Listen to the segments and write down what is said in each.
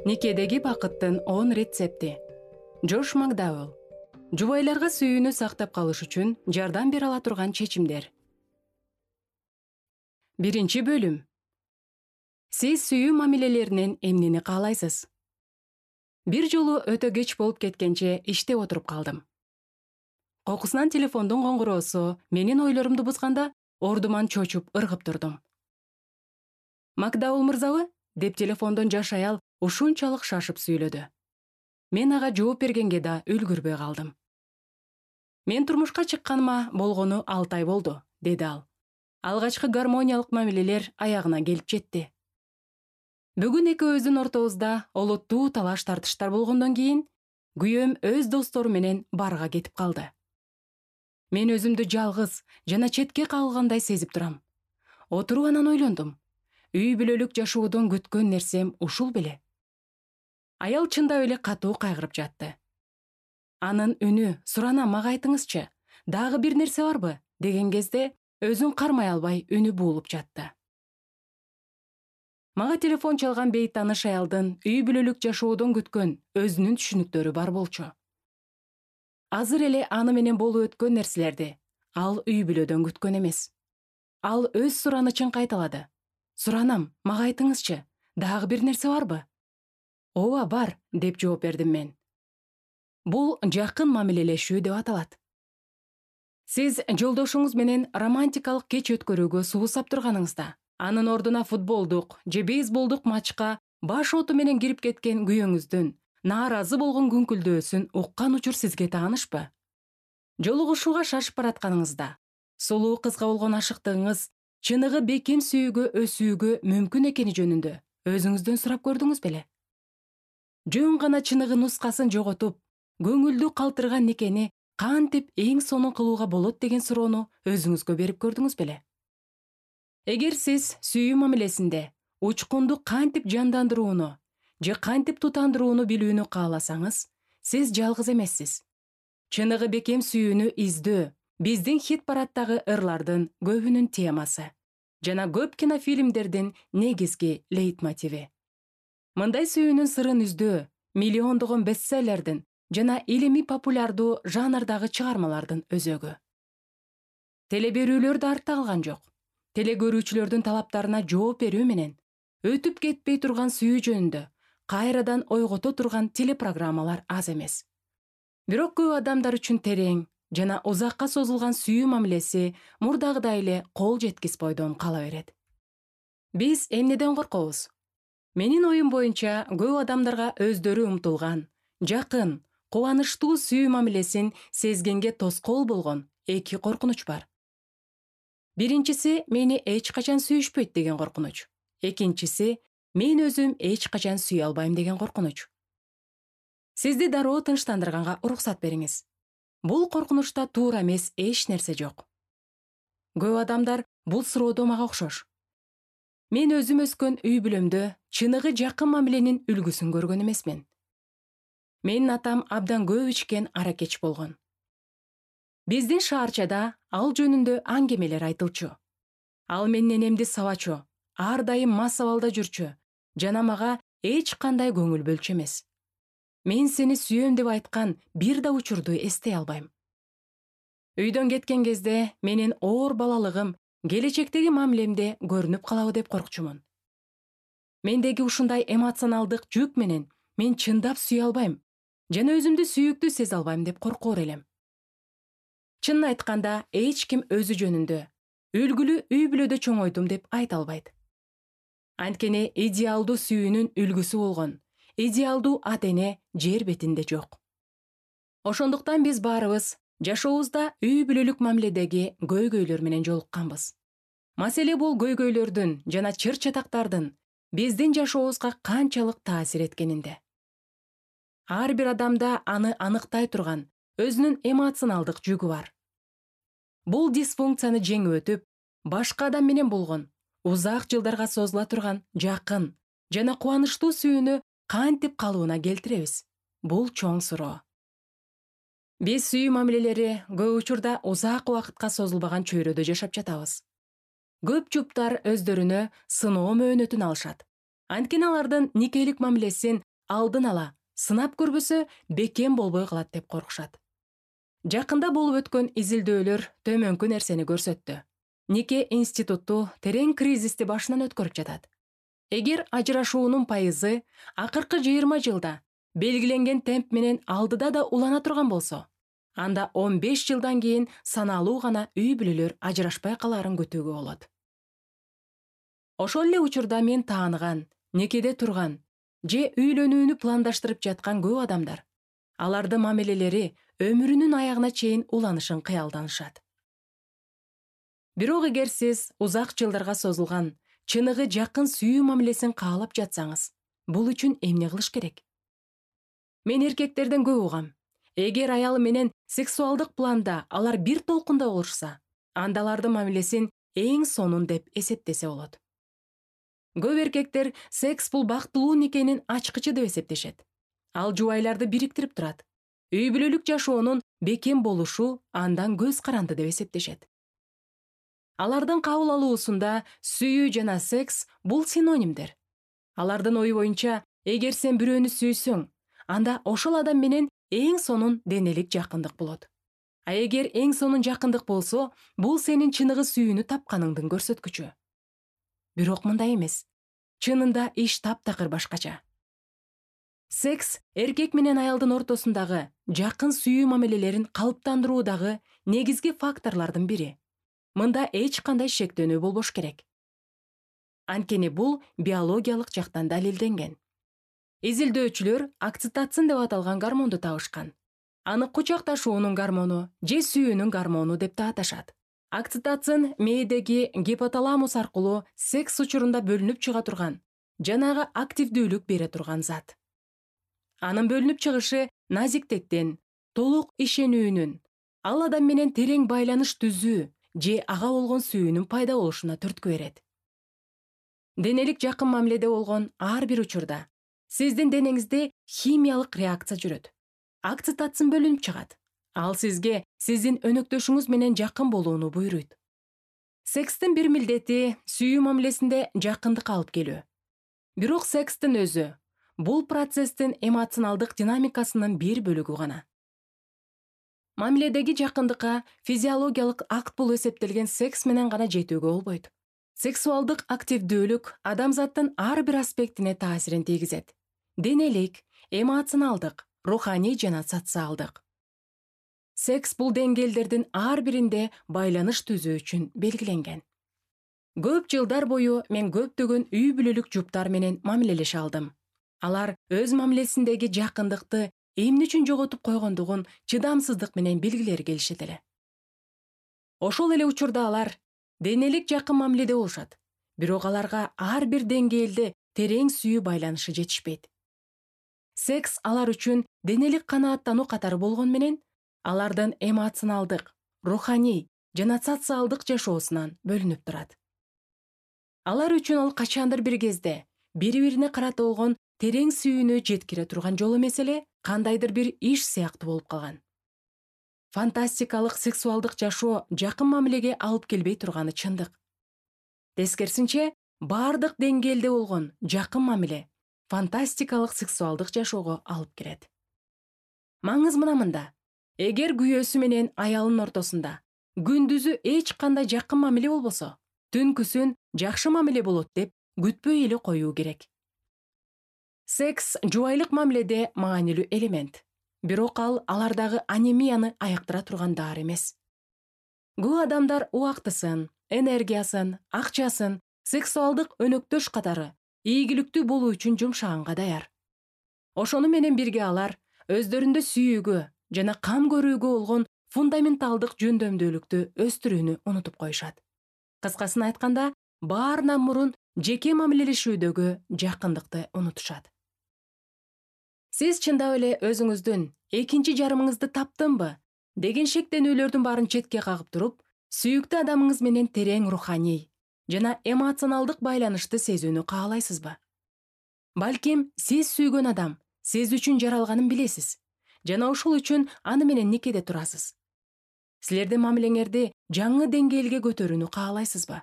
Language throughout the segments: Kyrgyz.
Никедеги бакыттын 10 рецепти. Джош Макдауэлл. Жубайларга сүйүүнү сактап калыш үчүн жардам бере ала турган чечимдер. Биринчи бөлүм. Сиз сүйүү мамилелеринен эмнени каалайсыз? Бир жолу өтө кеч болуп кеткенче иштеп отуруп калдым. Кокусунан телефондун коңгуроосу менин ойлорумду бузганда ордуман чочуп ыргып турдум. Макдауэлл мырзабы? Деп телефондон жаш аял ушунчалык шашып сүйлөдү. Мен ага жооп бергенге да үлгүрбөй калдым. Мен турмушка чыкканыма болгону 6 ай болду, деди ал. Алгачкы гармониялык мамилелер аягына келип жетти. Бүгүн экөөбүздүн ортобузда олуттуу талаш тартыштар болгондон кийин күйөөм өз достору менен барга кетип калды. Мен өзүмдү жалгыз жана четке кагылгандай сезип турам. Отуруп анан ойлондум. Үй бүлөлүк жашоодон күткөн нерсем ушул беле? Аял чындап эле катуу кайгырып жатты. Анын үнү "Суранам, мага айтыңызчы, дагы бир нерсе барбы?" деген кезде өзүн кармай албай үнү буулуп жатты. Мага телефон чалган бейтаныш аялдын үй бүлөлүк жашоодон күткөн өзүнүн түшүнүктөрү бар болчу. Азыр эле аны менен болуп өткөн нерселерди ал үй бүлөдөн күткөн эмес. Ал өз суранычын кайталады. "Суранам, мага айтыңызчы, дагы бир нерсе барбы?" "Ооба, бар", деп жооп бердим мен. Бул жакын мамилелешүү деп аталат. Сиз жолдошуңуз менен романтикалык кеч өткөрүүгө суусап турганыңызда, анын ордуна футболдук же бейсболдук матчка баш оту менен кирип кеткен күйөөңүздүн нааразы болгон күңкүлдөөсүн уккан учур сизге таанышпы? Жолугушууга шашып баратканыңызда, сулуу кызга болгон ашыктыгыңыз чыныгы бекем сүйүүгө өсүүгө мүмкүн экени жөнүндө өзүңүздөн сурап көрдүңүз беле? Жөн гана чыныгы нускасын жоготуп, көңүлдү калтырган никени кантип эң сонун кылууга болот деген суроону өзүңүзгө берип көрдүңүз беле? Эгер сиз сүйүү мамилесинде учкунду кантип жандандырууну же кантип тутандырууну билүүнү кааласаңыз, сиз жалгыз эмессиз. Чыныгы бекем сүйүүнү издөө биздин хит-парадтагы ырлардын көбүнүн темасы жана көп кинофильмдердин негизги лейтмотиви. Мындай сүйүүнүн сырын издөө миллиондогон бестселлердин жана илимий популярдуу жанрдагы чыгармалардын өзөгү. Телеберүүлөр да артта калган жок. Телекөрүүчүлөрдүн талаптарына жооп берүү менен өтүп кетпей турган сүйүү жөнүндө кайрадан ойгото турган телепрограммалар аз эмес. Бирок көп адамдар үчүн терең жана узакка созулган сүйүү мамилеси мурдагыдай эле кол жеткис бойдон кала берет. Биз эмнеден коркобуз? Менин оюм боюнча көп адамдарга өздөрү умтулган, жакын, кубанычтуу сүйүү мамилесин сезгенге тоскоол болгон эки коркунуч бар. Биринчиси мени эч качан сүйүшпөйт деген коркунуч. Экинчиси мен өзүм эч качан сүйө албайм деген коркунуч. Сизди дароо тынчтандырганга уруксат бериңиз. Бул коркунучта туура эмес эч нерсе жок. Көп адамдар бул суроодо мага окшош. Мен өзүм өскөн үй бүлөмдө чыныгы жакын мамиленин үлгүсүн көргөн эмесмин. Менин атам абдан көп ичкен аракеч болгон. Биздин шаарчада ал жөнүндө аңгемелер айтылчу. Ал менин энемди сабачу, ар дайым мас абалда жүрчү жана мага эч кандай көңүл бөлчү эмес. Мен сени сүйөм деп айткан бир да учурду эстей албайм. Үйдөн кеткен кезде менин оор балалыгым келечектеги мамилемде көрүнүп калабы деп коркчумун. Мендеги ушундай эмоционалдык жүк менен мен чындап сүйө албайм жана өзүмдү сүйүктүү сезе албайм деп коркоор элем. Чынын айтканда, эч ким өзү жөнүндө үлгүлүү үй бүлөдө чоңойдум деп айта албайт. Анткени идеалдуу сүйүүнүн үлгүсү болгон идеалдуу ата-эне жер бетинде жок. Ошондуктан биз баарыбыз жашообузда үй бүлөлүк мамиледеги көйгөйлөр менен жолукканбыз. Маселе бул көйгөйлөрдүн жана чыр-чатактардын биздин жашообузга канчалык таасир эткенинде. Ар бир адамда аны аныктай турган өзүнүн эмоционалдык жүгү бар. Бул дисфункцияны жеңип өтүп, башка адам менен болгон узак жылдарга созула турган жакын жана кубанычтуу сүйүүнү кантип калыбына келтиребиз? Бул чоң суроо. Биз сүйүү мамилелери көп учурда узак убакытка созулбаган чөйрөдө жашап жатабыз. Көп жуптар өздөрүнө сыноо мөөнөтүн алышат. Анткени алардын никелик мамилесин алдын ала сынап көрбөсө бекем болбой калат деп коркушат. Жакында болуп өткөн изилдөөлөр төмөнкү нерсени көрсөттү. Нике институту терең кризисти башынан өткөрүп жатат. Эгер ажырашуунун пайызы акыркы 20 жылда белгиленген темп менен алдыда да улана турган болсо, анда 15 жылдан кийин саналуу гана үй бүлөлөр ажырашпай калаарын күтүүгө болот. Ошол эле учурда мен тааныган, некеде турган же үйлөнүүнү пландаштырып жаткан көп адамдар, алардын мамилелери өмүрүнүн аягына чейин уланышын кыялданышат. Бирок эгер сиз узак жылдарга созулган, чыныгы жакын сүйүү мамилесин каалап жатсаңыз, бул үчүн эмне кылыш керек? Мен эркектерден көп угам. Эгер аял менен сексуалдык планда алар бир толкунда болушса, анда алардын мамилесин эң сонун деп эсептесе болот. Көп эркектер секс бул бактылуу никенин ачкычы деп эсептешет. Ал жубайларды бириктирип турат. Үй бүлөлүк жашоонун бекем болушу андан көз каранды деп эсептешет. Алардын кабыл алуусунда сүйүү жана секс бул синонимдер. Алардын ою боюнча, эгер сен бирөөнү сүйсөң, анда ошол адам менен эң сонун денелик жакындык болот. А эгер эң сонун жакындык болсо, бул сенин чыныгы сүйүүнү тапканыңдын көрсөткүчү. Бирок мындай эмес. Чынында иш таптакыр башкача. Секс эркек менен аялдын ортосундагы жакын сүйүү мамилелерин калыптандыруудагы негизги факторлордун бири. Мында эч кандай шектенүү болбош керек. Анткени бул биологиялык жактан далилденген. Изилдөөчүлөр окситоцин деп аталган гормонду табышкан. Аны кучакташуунун гормону же сүйүүнүн гормону деп да аташат. Окситоцин мээдеги гипоталамус аркылуу секс учурунда бөлүнүп чыга турган, жанагы активдүүлүк бере турган зат. Анын бөлүнүп чыгышы назиктиктен, толук ишенүүнүн, ал адам менен терең байланыш түзүү же ага болгон сүйүүнүн пайда болушуна түрткү берет. Денелик жакын мамиледе болгон ар бир учурда сиздин денеңизде химиялык реакция жүрөт. Окситоцин бөлүнүп чыгат. Ал сизге сиздин өнөктөшүңүз менен жакын болууну буйруйт. Секстин бир милдети сүйүү мамилесинде жакындык алып келүү. Бирок секстин өзү бул процесстин эмоционалдык динамикасынын бир бөлүгү гана. Мамиледеги жакындыкка физиологиялык акт болуп эсептелген секс менен гана жетүүгө болбойт. Сексуалдык активдүүлүк адамзаттын ар бир аспектине таасирин тийгизет. Денелик, эмоционалдык, руханий жана социалдык. Секс бул деңгээлдердин ар биринде байланыш түзүү үчүн белгиленген. Көп жылдар бою мен көптөгөн үй бүлөлүк жуптар менен мамилелеше алдым. Алар өз мамилесиндеги жакындыкты эмне үчүн жоготуп койгондугун чыдамсыздык менен билгилери келишет эле. Ошол эле учурда алар денелик жакын мамиледе болушат, бирок аларга ар бир деңгээлде терең сүйүү байланышы жетишпейт. Секс алар үчүн денелик канааттануу катары болгон менен, алардын эмоционалдык, руханий жана социалдык жашоосунан бөлүнүп турат. Алар үчүн ал качандыр бир кезде бири-бирине карата болгон терең сүйүүнү жеткире турган жол эмес эле, кандайдыр бир иш сыяктуу болуп калган. Фантастикалык сексуалдык жашоо жакын мамилеге алып келбей турганы чындык. Тескерисинче, бардык деңгээлде болгон жакын мамиле фантастикалык сексуалдык жашоого алып келет. Маңыз мында. Эгер күйөөсү менен аялынын ортосунда күндүзү эч кандай жакын мамиле болбосо, түнкүсүн жакшы мамиле болот деп күтпөй эле коюу керек. Секс жубайлык мамиледе маанилүү элемент. Бирок ал алардагы анемияны аяктыра турган дары эмес. Көп адамдар убактысын, энергиясын, акчасын сексуалдык өнөктөш катары ийгиликтүү болуу үчүн жумшаганга даяр. Ошону менен бирге алар өздөрүндө сүйүүгө жана кам көрүүгө болгон фундаменталдык жөндөмдүүлүктү өстүрүүнү унутуп коюшат. Кыскасын айтканда, баарынан мурун жеке мамилелешүүдөгү жакындыкты унутушат. Сиз чындап эле өзүңүздүн экинчи жарымыңызды таптымбы деген шектенүүлөрдүн баарын четке кагып туруп, сүйүктүү адамыңыз менен терең руханий жана эмоционалдык байланышты сезүүнү каалайсызбы? Балким, сиз сүйгөн адам сиз үчүн жаралганын билесиз жана ошол үчүн аны менен никеде турасыз. Силердин мамилеңерди жаңы деңгээлге көтөрүүнү каалайсызбы?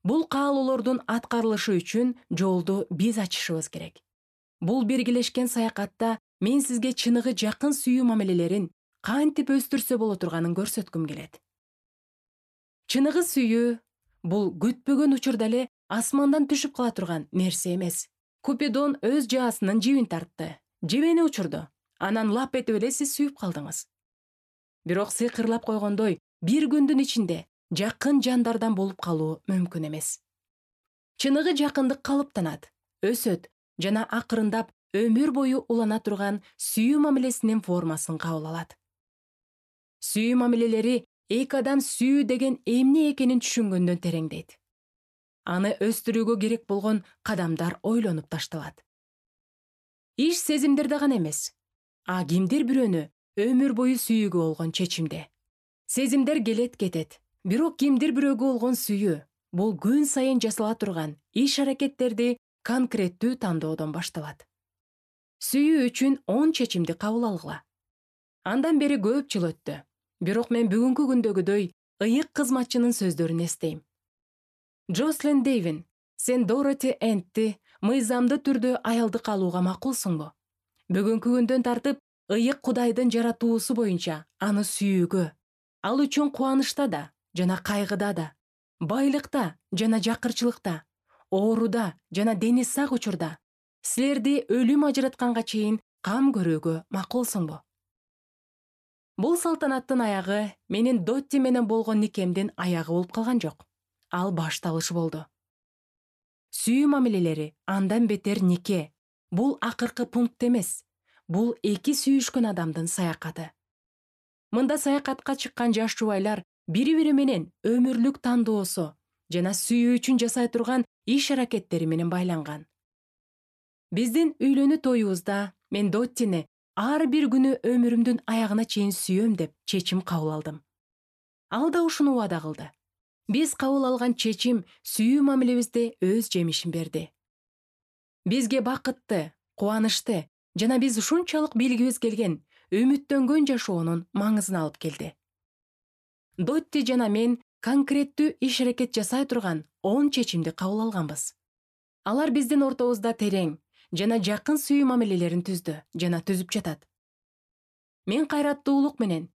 Бул каалоолордун аткарылышы үчүн жолду биз ачышыбыз керек. Бул биргелешкен саякатта мен сизге чыныгы жакын сүйүү мамилелерин кантип өстүрсө боло турганын көрсөткүм келет. Чыныгы сүйүү бул күтпөгөн учурда эле асмандан түшүп кала турган нерсе эмес. Купидон өз жаасынын жибин тартты, жебени учурду, анан лап этип эле сиз сүйүп калдыңыз. Бирок сыйкырлап койгондой, бир күндүн ичинде жакын жандардан болуп калуу мүмкүн эмес. Чыныгы жакындык калыптанат, өсөт жана акырындап өмүр бою улана турган сүйүү мамилесинин формасын кабыл алат. Сүйүү мамилелери эки адам сүйүү деген эмне экенин түшүнгөндөн тереңдейт. Аны өстүрүүгө керек болгон кадамдар ойлонуп ташталат. Иш сезимдерде гана эмес, а кимдир бирөөнү өмүр бою сүйүүгө болгон чечимде. Сезимдер келет кетет, бирок кимдир бирөөгө болгон сүйүү бул күн сайын жасала турган иш-аракеттерди конкреттүү тандоодон башталат. Сүйүү үчүн 10 чечимди кабыл алгыла. Андан бери көп жыл өттү, бирок мен бүгүнкү күндөгүдөй ыйык кызматчынын сөздөрүн эстейм. Джослин Дейвин, сен Дороти Энтти мыйзамдуу түрдө аялдык алууга макулсуңбу? Бүгүнкү күндөн тартып ыйык Кудайдын жаратуусу боюнча аны сүйүүгө, ал үчүн кубанычта да жана кайгыда да, байлыкта жана жакырчылыкта, ооруда жана дени сак учурда силерди өлүм ажыратканга чейин кам көрүүгө макулсуңбу? Бул салтанаттын аягы менин Дотти менен болгон никемдин аягы болуп калган жок. Ал башталышы болду. Сүйүү мамилелери андан бетер нике. Бул акыркы пункт эмес. Бул эки сүйүшкөн адамдын саякаты. Мында саякатка чыккан жаш жубайлар бири-бири менен өмүрлүк тандоосу жана сүйүү үчүн жасай турган иш-аракеттери менен байланган. Биздин үйлөнүү тоюбузда мен Доттини ар бир күнү өмүрүмдүн аягына чейин сүйөм деп чечим кабыл алдым. Ал да ушуну убада кылды. Биз кабыл алган чечим сүйүү мамилебизде өз жемишин берди. Бизге бакытты, кубанычты жана биз ушунчалык билгибиз келген, үмүттөнгөн жашоонун маңызын алып келди. Дотти жана мен конкреттүү иш-аракет жасай турган 10 чечимди кабыл алганбыз. Алар биздин ортобузда терең жана жакын сүйүү мамилелерин түздү жана түзүп жатат. Мен кайраттуулук менен,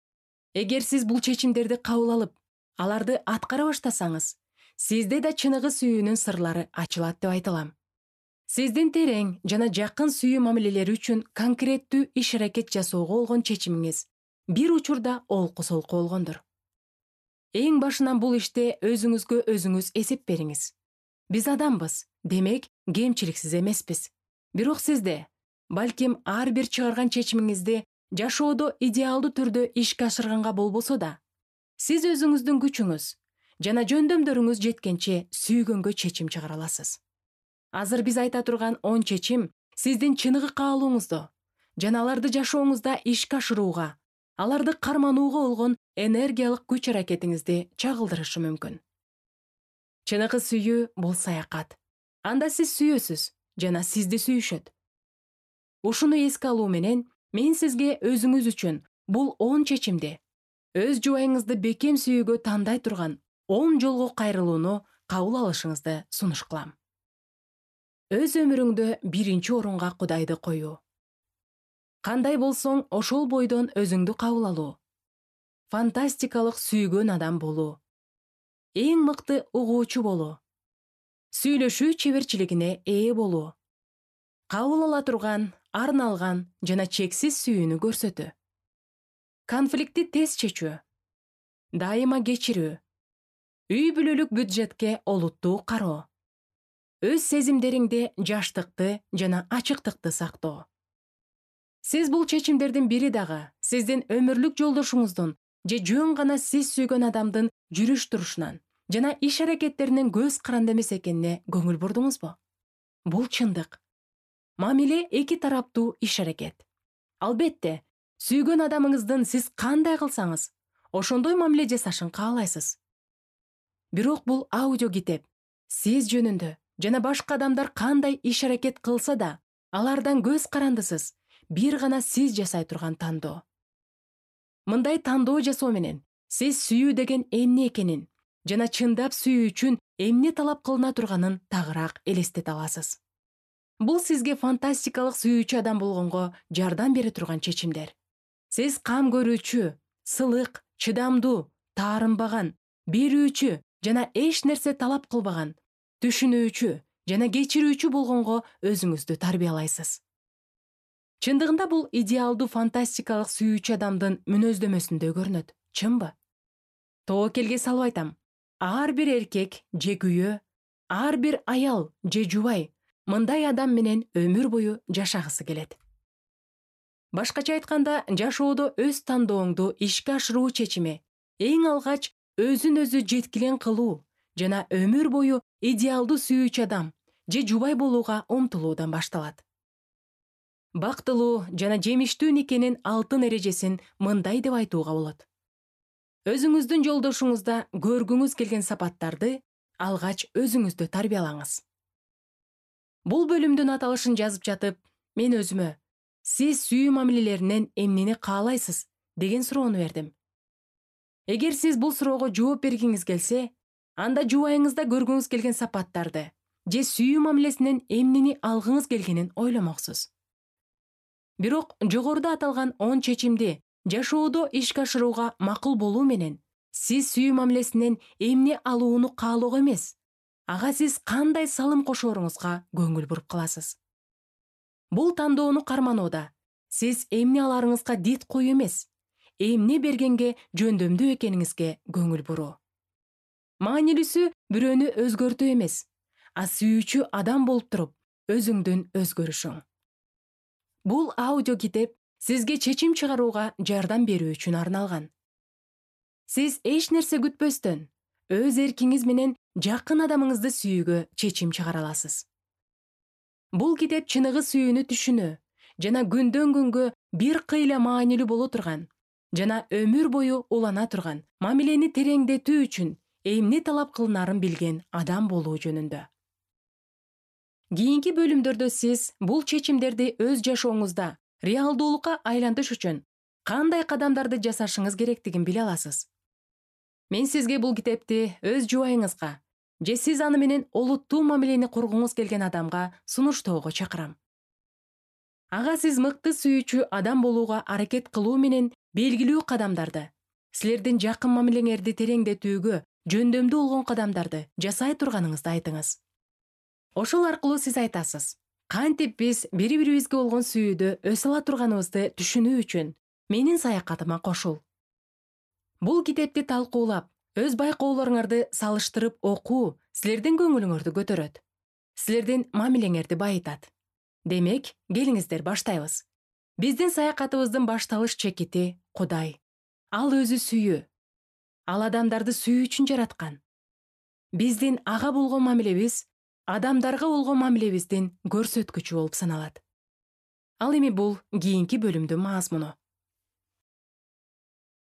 эгер сиз бул чечимдерди кабыл алып, аларды аткара баштасаңыз, сизде да чыныгы сүйүүнүн сырлары ачылат деп айта алам. Сиздин терең жана жакын сүйүү мамилелери үчүн конкреттүү иш-аракет жасоого болгон чечимиңиз бир учурда олку-солку болгондур. Эң башынан бул иште өзүңүзгө өзүңүз эсеп бериңиз. Биз адамбыз, демек кемчиликсиз эмеспиз. Бирок сизде, балким ар бир чыгарган чечимиңизди жашоодо идеалдуу түрдө ишке ашырганга болбосо да, сиз өзүңүздүн күчүңүз жана жөндөмдөрүңүз жеткенче сүйгөнгө чечим чыгара аласыз. Азыр биз айта турган 10 чечим сиздин чыныгы каалооңузду жана аларды жашооңузда ишке ашырууга, аларды карманууга болгон энергиялык күч-аракетиңизди чагылдырышы мүмкүн. Чыныгы сүйүү бул саякат. Анда сиз сүйөсүз жана сизди сүйүшөт. Ушуну эске алуу менен мен сизге өзүңүз үчүн бул 10 чечимди, өз жубайыңызды бекем сүйүүгө тандай турган 10 жолго кайрылууну кабыл алышыңызды сунуш кылам. Өз өмүрүңдө биринчи орунга Кудайды коюу. Кандай болсоң, ошол бойдон өзүңдү кабыл алуу. Фантастикалык сүйгөн адам болуу. Эң мыкты угуучу болуу. Сүйлөшүү чеберчилигине ээ болуу. Кабыл ала турган, арналган жана чексиз сүйүүнү көрсөтүү. Конфликтти тез чечүү. Дайыма кечирүү. Үй бүлөлүк бюджетке олуттуу кароо. Өз сезимдериңде жаштыкты жана ачыктыкты сактоо. Сиз бул чечимдердин бири дагы сиздин өмүрлүк жолдошуңуздун же жөн гана сиз сүйгөн адамдын жүрүш-турушунан жана иш-аракеттеринен көз каранды эмес экенине көңүл бурдуңузбу? Бул чындык. Мамиле эки тараптуу иш-аракет. Албетте, сүйгөн адамыңыздын сиз кандай кылсаңыз, ошондой мамиле жасашын каалайсыз. Бирок бул аудиокитеп сиз жөнүндө жана башка адамдар кандай иш-аракет кылса да, алардан көз карандысыз, бир гана сиз жасай турган тандоо. Мындай тандоо жасоо менен сиз сүйүү деген эмне экенин жана чындап сүйүү үчүн эмне талап кылына турганын тагыраак элестете аласыз. Бул сизге фантастикалык сүйүүчү адам болгонго жардам бере турган чечимдер. Сиз кам көрүүчү, сылык, чыдамдуу, таарынбаган, берүүчү жана эч нерсе талап кылбаган, түшүнүүчү жана кечирүүчү болгонго өзүңүздү тарбиялайсыз. Чындыгында бул идеалдуу фантастикалык сүйүүчү адамдын мүнөздөмөсүндө көрүнөт, чынбы? Тобокелге салып айтам. Ар бир эркек же күйөө, ар бир аял же жубай мындай адам менен өмүр бою жашагысы келет. Башкача айтканда, жашоодо өз тандооңду ишке ашыруу чечими эң алгач өзүн өзү жеткилен кылуу жана өмүр бою идеалдуу сүйүүчү адам же жубай болууга умтулуудан башталат. Бактылуу жана жемиштүү никенин алтын эрежесин мындай деп айтууга болот. Өзүңүздүн жолдошуңузда көргүңүз келген сапаттарды алгач өзүңүздү тарбиялаңыз. Бул бөлүмдүн аталышын жазып жатып, мен өзүмө сиз сүйүү мамилелеринен эмнени каалайсыз деген суроону бердим. Эгер сиз бул суроого жооп бергиңиз келсе, анда жубайыңызда көргүңүз келген сапаттарды же сүйүү мамилесинен эмнени алгыңыз келгенин ойломоксуз. Бирок жогоруда аталган 10 чечимди жашоодо ишке ашырууга макул болуу менен сиз сүйүү мамилесинен эмне алууну каалоого эмес, ага сиз кандай салым кошооруңузга көңүл буруп каласыз. Бул тандоону карманууда сиз эмне аларыңызга дит коюу эмес, эмне бергенге жөндөмдүү экениңизге көңүл буруу. Маанилүүсү бирөөнү өзгөртүү эмес, а сүйүүчү адам болуп туруп өзүңдүн өзгөрүшүң. Бул аудио китеп сизге чечим чыгарууга жардам берүү үчүн арналган. Сиз эч нерсе күтпөстөн өз эркиңиз менен жакын адамыңызды сүйүүгө чечим чыгара аласыз. Бул китеп чыныгы сүйүүнү түшүнүү жана күндөн күнгө бир кыйла маанилүү боло турган жана өмүр бою улана турган мамилени тереңдетүү үчүн эмне талап кылынарын билген адам болуу жөнүндө. Кийинки бөлүмдөрдө сиз бул чечимдерди өз жашооңузда реалдуулукка айлантыш үчүн кандай кадамдарды жасашыңыз керектигин биле аласыз. Мен сизге бул китепти өз жубайыңызга же сиз аны менен олуттуу мамилени кургуңуз келген адамга сунуштоого чакырам. Ага сиз мыкты сүйүүчү адам болууга аракет кылуу менен белгилүү кадамдарды, силердин жакын мамилеңерди тереңдетүүгө жөндөмдүү болгон кадамдарды жасай турганыңызды айтыңыз. Ошол аркылуу сиз айтасыз, кантип биз бири-бирибизге болгон сүйүүдө өсө ала турганыбызды түшүнүү үчүн менин саякатыма кошул. Бул китепти талкуулап, өз байкоолоруңарды салыштырып окуу силердин көңүлүңөрдү көтөрөт. Силердин мамилеңерди байытат. Демек, келиңиздер баштайбыз. Биздин саякатыбыздын башталыш чекити Кудай. Ал өзү сүйүү. Ал адамдарды сүйүү үчүн жараткан. Биздин ага болгон мамилебиз адамдарга болгон мамилебиздин көрсөткүчү болуп саналат. Ал эми бул кийинки бөлүмдүн мазмуну.